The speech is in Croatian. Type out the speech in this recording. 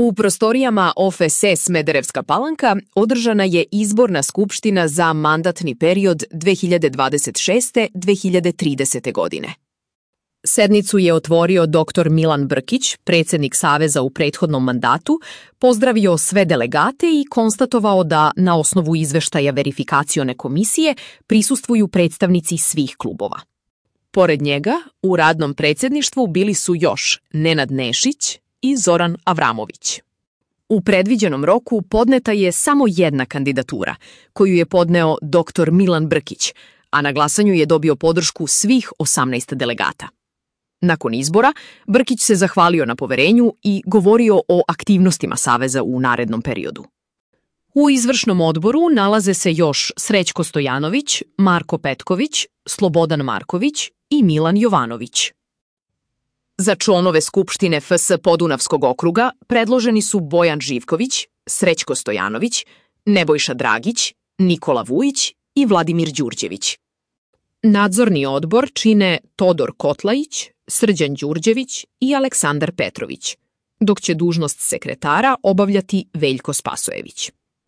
U prostorijama OFS Smederevska Palanka održana je izborna skupština za mandatni period 2026-2030. godine. Sednicu je otvorio dr. Milan Brkić, predsjednik Saveza u prethodnom mandatu, pozdravio sve delegate i konstatovao da na osnovu izveštaja verifikacione komisije prisustvuju predstavnici svih klubova. Pored njega, u radnom predsjedništvu bili su još Nenad Nešić i Zoran Avramović. U predviđenom roku podneta je samo jedna kandidatura, koju je podneo dr. Milan Brkić, a na glasanju je dobio podršku svih 18 delegata. Nakon izbora, Brkić se zahvalio na poverenju i govorio o aktivnostima Saveza u narednom periodu. U izvršnom odboru nalaze se još Srećko Stojanović, Marko Petković, Slobodan Marković i Milan Jovanović. Za članove Skupštine FS Podunavskog okruga predloženi su Bojan Živković, Srećko Stojanović, Nebojša Dragić, Nikola Vujić i Vladimir Đurđević. Nadzorni odbor čine Todor Kotlajić, Srđan Đurđević i Aleksandar Petrović, dok će dužnost sekretara obavljati Veljko Spasojević.